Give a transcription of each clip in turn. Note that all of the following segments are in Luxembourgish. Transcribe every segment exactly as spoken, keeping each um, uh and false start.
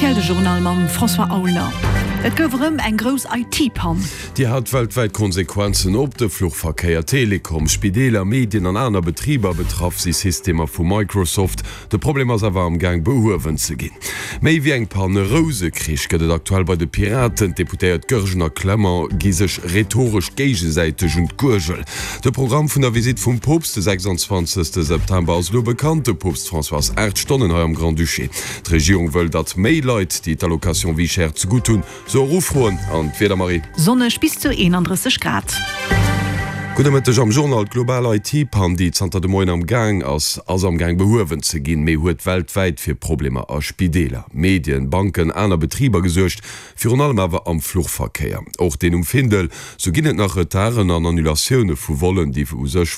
R T L de Journal mam François Aulner. Et gouf erëm eng grouss I T-Pann. Déi hat weltwäit Konsequenzen op de Fluchverkéier, Telekom, Spideeler, Medien an aner Betriber. Betraff si Systemer vu Microsoft. De Problem ass awer am Gaang behuewen ze ginn. Méi wéi eng Pann, e Rousekrich gëtt et aktuell bei de Piraten. D'Deputéiert Goergen a Clement gi sech rhetoresch géigesäiteg un d'Guergel. De Programm vun der Visitt vum Poopst de sechsanzwanzegste September ass elo bekannt. De Poopst François ass aacht Stonnen hei am Grand-Duché. D'Regierung wëll, datt méi Leit, déi d'Allocation Vie chère zegutt hunn, se och ufroen. An d'Wieder, Marie? Sonneg bis zu eenandrësseg Grad. Gudde Mëtteg am Journal. D'global I T-Pann, déi zanter de Moien am Gaang ass, ass am Gaang behuewen ze ginn, mee huet weltwäit fir Problemer a Spideeler, Medien, Banken, aner Betriber gesuergt, virun allem awer am Fluchverkéier, och deen um Findel. Sou ginn et nach Retarden an Annulatioune vu Vollen, déi u sech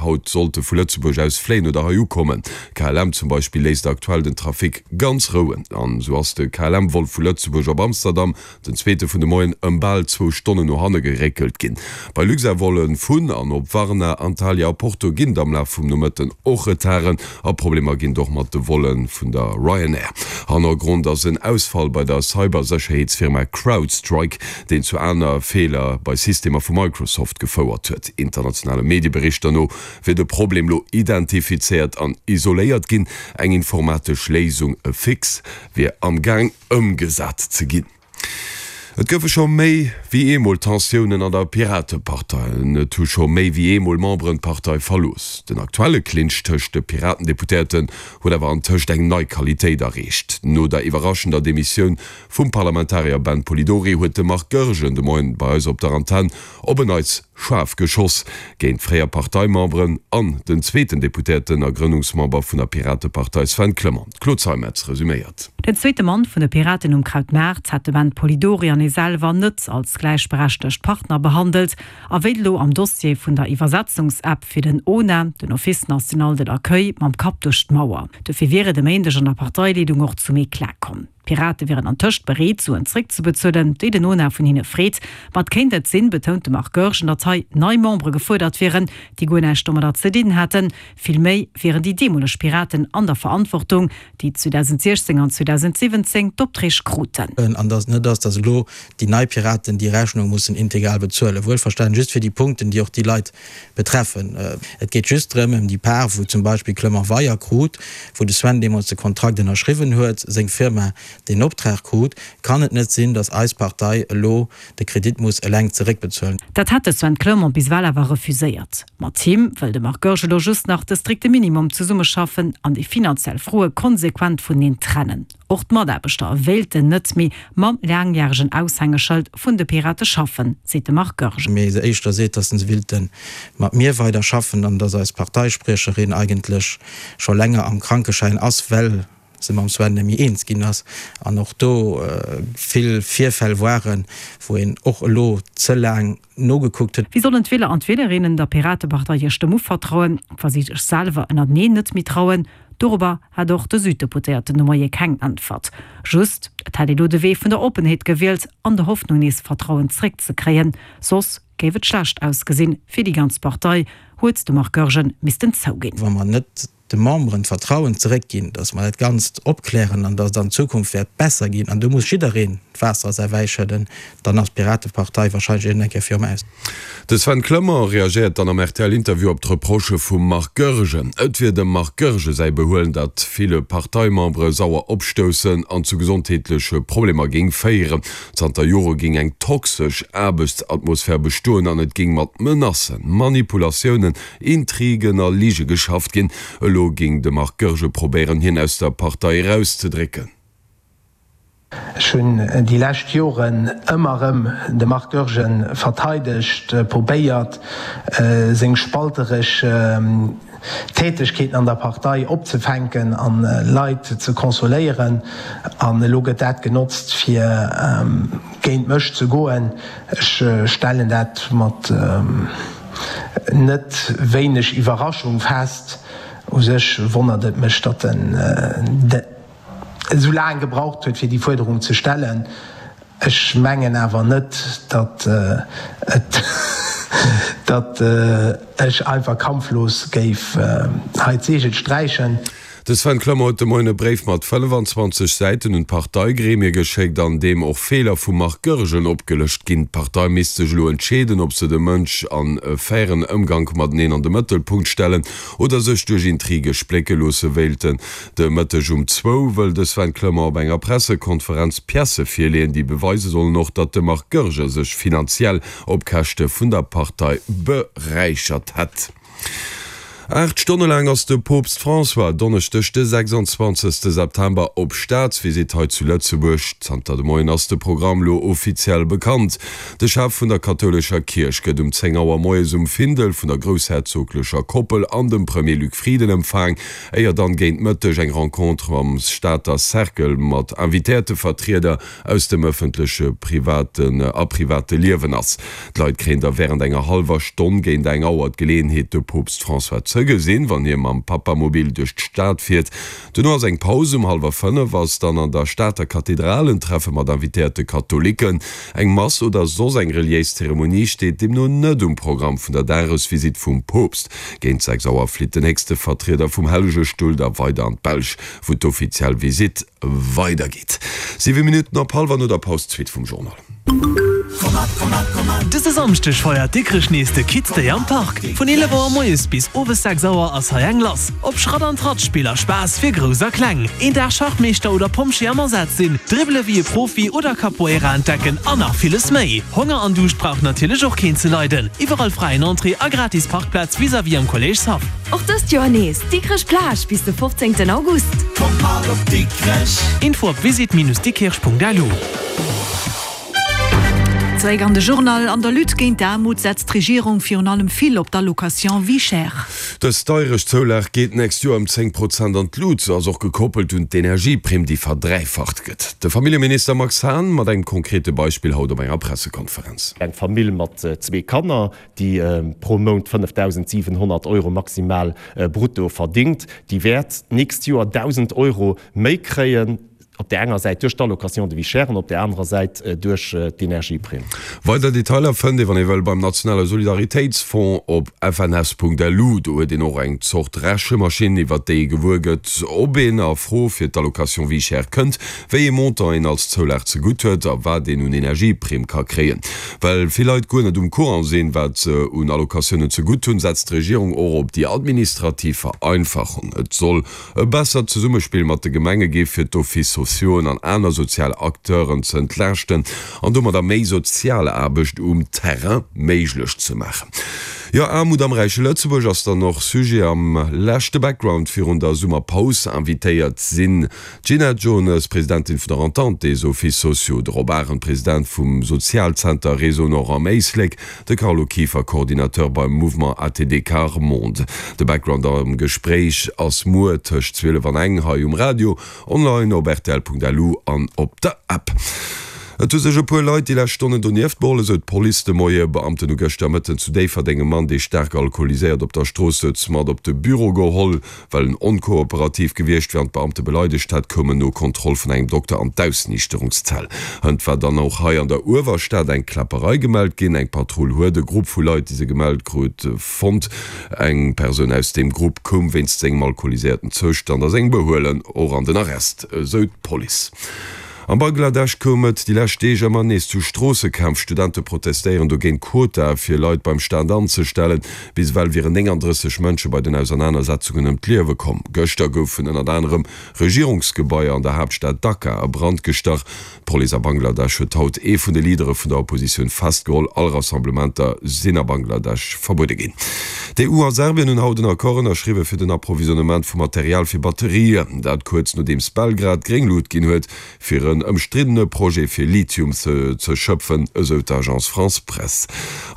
haut sollte vu Lëtzebuerg aus fléien oder hei ukommen. K L M zum Beispill léisst aktuell den Trafic ganz rouen. An esou ass de K L M-Vol vu Lëtzebuerg op Amsterdam, den zweete vun de Moien, ëm bal zwou Stonnen no hanne geréckelt ginn. Bei Luxair-Volle vun an op Varna, Antalya a Porto ginn et am Laf vum Nomëtten och Retarden a Problemer ginn et och mat de Volle vun der Ryanair. Hannergrond ass en Ausfall bei der Cybersécherheetsfirma CrowdStrike, deen zu aner Feeler bei Systemer vu Microsoft gefouert huet. Internationale Medieberichter no wier de Problem lo identifizéiert an isoléiert ginn. Eng informatesch Léisung, e Fix, wier am Gaang ëmgesat ze ginn. Et goufe scho méi wéi eemol Tensiounen an der Piratepartei an et hu scho méi wéi eemol Memberen d'Partei verlooss. Den aktuelle Clinch tëscht de Piraten-Deputéierten huet awer antëscht eng nei Qualitéit erreecht. No der iwwerraschender Demissioun vum Parlamentarier Ben Polidori huet de Marc Goergen de Moien bei eis op der Antenn op en Neits schaarf geschoss géint fréier Parteimemberen an den zweeten Deputéierten a Grënnungsmember vun der Piratepartei Sven Clement. D'Claude Zeimetz resuméiert. Den zweete Mann vun de Piraten um Krautmaart hätt de Ben Polidori an ee selwer net als gläichberechtegt Partner behandelt a wéilt elo am Dossier vun der Iwwersetzungsapp fir den O N A, den Office national de l'accueil, mam Kapp duerch d'Mauer. Dofir wier et e Méindeg an der Parteileedung och zum Eklat komm. D'Pirate wieren antëscht bereet, Suen zréckzebezuelen, déi den O N A vun hinne freet. Ma et kéint et sinn, betount de Marc Goergen, datt hei nei Membere gefuerdert wieren, déi guer näischt domadder ze dinn hätten. Vill méi wieren déi deemoleg Piraten an der Verantwortung, déi zweedausendsiechzéng an zweedausendsiwwenzéng d'Opträg kruten. An datt et net ass, datt elo déi nei Piraten déi Rechnung mussen integral bezuelen. Wuelverstanen just fir déi Punkten, déi och déi Leit betreffen. Et geet just drëm, ëm déi Part, wou zum Beispill Clement Weier krut, wou de Sven deemools de Kontrakt ënnerschriwwen huet, seng Firma deen Optrag krut, kann et net sinn, datt eis Partei elo de Kredit muss eleng zeréckbezuelen. Dat hätt de Sven Clement bis ewell awer refuséiert. Mat him wëll de Marc Goergen elo just nach de strikte Minimum zesummeschaffen an déi finanziell Froe konsequent vuneneen trennen. Och d'Mataarbechter wéilten net méi mam laangjäregen Aushängeschëld vun de Pirate schaffen, seet de Marc Goergen. Mee se éischter seet, datt se wéilte mat mir weider schaffen an datt eis Parteispriecherin eigentlech scho länger am Krankeschäin ass, well se mam Sven net méi eens ginn ass an och do vill Virfäll waren, wou een och elo ze laang nogekuckt huet. Wéi sollen d'Wieler an d'Wielerinnen der Piratepartei hir Stëmm uvertrauen, wa si sech selwer ënnerteneen net méi trauen? Dorobber hat och de Süddeputéierten de Moie keng Äntwert. Just, et hätt ee lo de Wee vun der Oppenheet gewielt an der Hoffnung nees Vertrauen zréckzekréien, soss géif et schlecht ausgesinn fir déi ganz Partei, huet de Marc Goergen missten zouginn. Wa mer net de Memberen d'Vertrauen zeréckginn, datt mer dat Ganzt opklären an datt et an Zukunft wäert besser ginn, an do muss jiddereen d'Waasser a säi Wäi schëdden, dann ass d'Piratepartei wahrscheinlech iergendeng Kéier virum Aus. De Sven Clement reagéiert dann am R T L-Interview op d'Reprochë vum Marc Goergen. Et wier dem Marc Goergen säi Behuelen, dat ville Parteimembere sauer opstoussen an zu gesondheetleche Problemer géing féieren. Zanter Jore géing eng toxesch Aarbechtsatmosphär bestoen an et géing mat Menacen, Manipulatiounen, Intrigen a Lige geschafft ginn. Elo géing de Marc Goergen probéieren, hien aus der Partei erauszedrécken. Ech hunn déi lescht Joren ëmmer erëm de Marc Goergen verteidegt, probéiert seng spalteresch Tätegkeeten an der Partei opzefänken an Leit ze consoléieren. An elo gëtt dat genotzt fir géint mech ze goen. Ech stellen dat mat net wéineg Iwwerraschung fest. U sech wonnert et mech, datt en esou laang gebraucht huet, fir déi Fuerderung ze stellen. Ech mengen awer net, datt et datt ech einfach kampflos géif hei d'Seegel sträichen. De Sven Clement huet de Moien e Bréif mat fënnfanzwanzeg Säiten un d'Parteigremie geschéckt, an deem och Feeler vum Marc Goergen opgelëscht ginn. D'Partei misst sech elo entscheeden, ob se de Mënsch an e fairen Ëmgank mateneen an de Mëttelpunkt stellen oder sech duerch Intrige splécke loosse wéilten. De Mëtteg um zwou wëll de Sven Clement op enger Pressekonferenz Piècë virleeën, déi beweise sollen och, datt de Marc Goergen sech finanziell op Käschte vun der Partei beräichert hätt. Aacht Stonne laang ass de Poopst François Donneschdeg de sechsundzwanzegste September op Staatsvisitt hei zu Lëtzebuerg. Zanter de Moien ass de Programm lo offiziell bekannt. De Chef vun der kathoulescher Kierch gëtt um zéng Auer moies um Findel vun der groussherzoglecher Koppel an dem Premier Luc Frieden empfaang, éier dann géint Mëtteg eng Rencontre am Stater Cercle mat invitéierte Vertrieder aus dem ëffentleche, privaten a private Liewen ass. D'Leit kréien da wärend enger hallwer Stonn géint eng Auer d'Geleeënheet, de Poopst François ze gesinn, wann hie mam Papamobil duerch d'Stad fiert. Duerno ass eng Paus. Um hallwer fënnef ass dann an der Stater Kathedral en Treffe mat invitéierte Katholiken. Eng Mass oder soss eng reliéis Zeremonie steet deemno net um Programm vun der Dagesvisitt vum Poopst. Géint sechs Auer flitt den héchste Vertrieder vum Hellege Stull da weider an d'Belsch, wou d'offiziell Visitt weidergeet. Siwe Minutten op hallwer no der Paus d'Suite vum Journal. Dëse Samschdeg feiert Dikrech nees de Kids Day am Park. Vun eelef Auer moies bis owes sechs Auer ass hei eng lass. Ob Schratt an Tratt Spiller, Spaass fir Grouss a Kleng, een Dag Schachmeeschter oder Pompjee am Asaz sinn, dribbele wéi e Profi oder Capoeira entdecken an nach villes méi. Honger an Duuscht brauch natierlech och keen ze leiden. Iwwerall fräien Entrée a gratis Parkplaz vis-à-vis am Kolléischshaff. Och dëst Joer nees Dikrech Plage bis de fofzéngten August. Kommt mat op Dikrech! Info op visit-dikkirch.lu. Zeréck an de Journal. An der Lutte géint d'Aarmut setzt d'Regierung virun allem vill op d'Allocation Vie chère. Dës Deierechtszoulag geet d'nächst Joer ëm zéng Prozent an d'Lut. Se ass och gekoppelt un d'Energieprimm, déi verdräifacht gëtt. De Familljeminister Max Hahn mat engem konkrete Beispill haut op enger Pressekonferenz. Eng Famill mat zwee Kanner, déi pro Mount fënnefdausendsiwenhonnert Euro maximal brutto verdingt, déi wäert d'nächst Joer dausend Euro méi kréien. Op där enger Säit duerch d'Allocation de vie chère an op där anerer Säit duerch d'Energieprimm. Weider Detailer fënnt ee wann ee wëll beim Nationale Solidaritéitsfonds op F N S Punkt L U. Do huet een och eng Zort Rechemaschinn, iwwert déi ee gewuer gëtt, ob een a Fro fir d'Allocation vie chère kënnt, wéi ee Montant een als Zoulag zegutt huet a wat een un Energieprimm ka kréien. Well vill Leit guer net um Courant sinn, wat se un Allocatiounen zegutt hunn, setzt d'Regierung och op déi administrativ Vereinfachung. Et soll e bessert Zesummespill mat de Gemenge gi fir d'Offices sociauxen an aner sozial Acteuren ze entlaaschten an domadder méi sozial Aarbecht um Terrain méiglech ze maachen. Jo, Aarmut am räiche Lëtzebuerg ass dann och Sujet am leschte Background virun der Summerpaus. Invitéiert sinn d'Gina Jones, Presidentin vun der Entente des Offices sociaux, de Rob Arendt, President vum Sozialzenter Réseau Nord am Éislek, de Carlo Kieffer, Coordinateur beim Mouvement A T D Quart Monde. De Background am Gespréich ass muer tëscht zwielef an eng hei um Radio, online op rtl Punkt L U an op der App. Et hu sech e puer Leit déi lescht Stonnen donieft beholl, esou d'Police de Moie. Beamten hu gëschter Mëtten zu Déifferdeng e Mann, dee staark alkoholiséiert op der Strooss souz, mat op de Büro geholl. Well en onkooperativ gewiescht wier an d'Beamte beleidegt hätt, koum en no Kontroll vun engem Dokter an d'Ausniichterungszell. Hënt war dann och hei an der Uewerstad eng Kläpperei gemellt ginn. Eng Patrull huet e Grupp vu Leit, déi se gemellt krut, fonnt. Eng Persoun aus deem Grupp koum wéinst sengem alkoholiséierten Zoustand a sengem Behuelen och an den Arrest, esou d'Police. Am Bangladesch koum et déi lescht Deeg ëmmer nees zu Stroossekämpf. Studente protestéieren dogéint, Quotae fir Leit beim Staat anzestellen. Bis ewell wieren nénganddrësseg Mënsche bei den Ausernanersetzungen ëm d'Liewe komm. Gëschter goufen ënnert anerem Regierungsgebaier an der Haaptstad Dhaka a Brand gestach. D'Police a Bangladesch huet haut ee vun de Leadere vun der Oppositioun festgeholl. All Rassemblementer sinn a Bangladesch verbuede ginn. D'E U a Serbien hunn haut en Accord ënnerschriwwe fir den Approvisionnement vu Material fir Batterien. Dat kuerz nodeems Belgrad gréng Lut ginn huet, fir en ëmstriddene Projet fir Lithium ze ze schëpfen, esou d'Agence France Presse.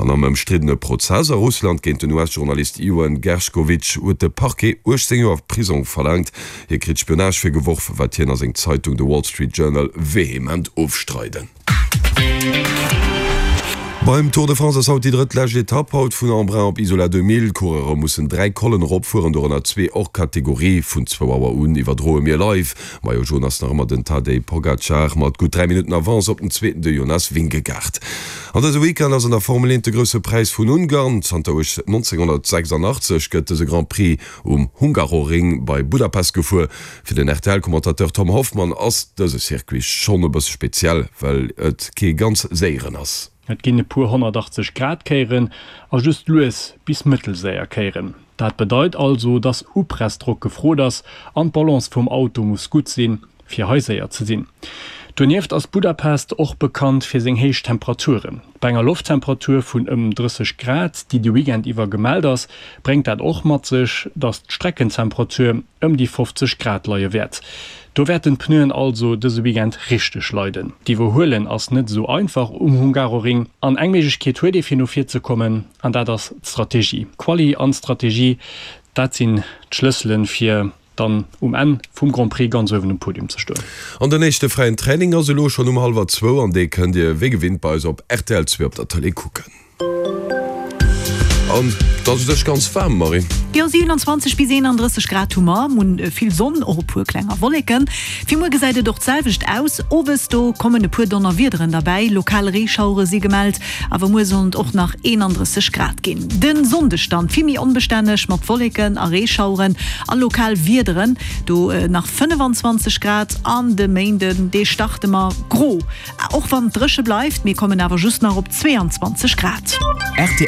An am ëmstriddene Prozess a Russland géint den U S-Journalist Iwan Gershkovich huet de Parquet uechtzéng Joer Prisong verlaangt. Hie kritt Spionage virgeworf, wat hien a seng Zeitung The Wall Street Journal vehement ofstreiden. Beim Tour de France ass haut déi drëtt lescht Etapp haut vun Embrun op Isola deux mille. D'Coureure mussen dräi Collen eropfueren, dorënner zwee hors catégorie. Vun zwou Auer un iwwerdroe mir live. Maillot jaune ass nach ëmmer den Tadej Pogacar mat gutt dräi Minutten Avance op den Zweeten, de Jonas Vingegaard. An dëse Weekend ass an der Formel eent de Grousse Präis vun Ungarn. Zanter nonzénghunnertsechsandachtzeg gëtt dëse Grand Prix um Hungaroring bei Budapest gefuer. Fir den R T L-Commentateur Tom Hoffmann ass dëse Circuit schonn e bësse speziell, well et kee ganz séieren ass. Et ginn e puer honnertachtzeg Grad Kéieren a just lues bis mëttelséier Kéieren. Dat bedeit also, dass Upressdrock gefrot ass an d'Balance vum Auto muss gutt sinn, fir hei séier ze sinn. Donieft ass Budapest och bekannt fir seng héich Temperaturen. Bei enger Lofttemperatur vun ëm drësseg Grad, déi de Weekend iwwer gemellt ass, bréngt dat och mat sech, dass d'Streckentemperatur ëm déi fofzeg Grad leie wäert. Do wäerten d'Pneuen also dëse Weekend richteg leiden. D'Iwwerhuelen ass net esou einfach um Hungaroring an eng Méiglechkeet huet ee fir no vir ze kommen an dat ass d'Strategie. Quali an Strategie, dat sinn d'Schlësselen fir dann um Enn vum Grand Prix ganz uewen um Podium ze stoen. An den éischte fräien Training ass elo schonn um hallwer zwou an dee kënnt Dir wéi gewinnt bei eis op R T L zwee op der Tëlee kucken. An et ass u sech ganz waarm, Marie. Jo, siewenanzwanzeg bis eenandrësseg Grad hu mer, hunn vill Sonn, och e puer klenger Wolleken. Fir muer gesäit et och d'selwecht aus, owes do kommen e puer Donnerwiederen derbäi, lokal Reeschauere si gemellt, awer muer sollen et och nach eenandrësseg Grad ginn. Den Sonndeg dann vill méi onbestänneg mat Wolleken a Reeschaueren a lokal Wiederen, do nach fënnefanzwanzeg Grad. An de Méinden, dee starte mer gro, och wann et dréche bleift, mir kommen awer just nach op zweeanzwanzeg Grad. Rtl.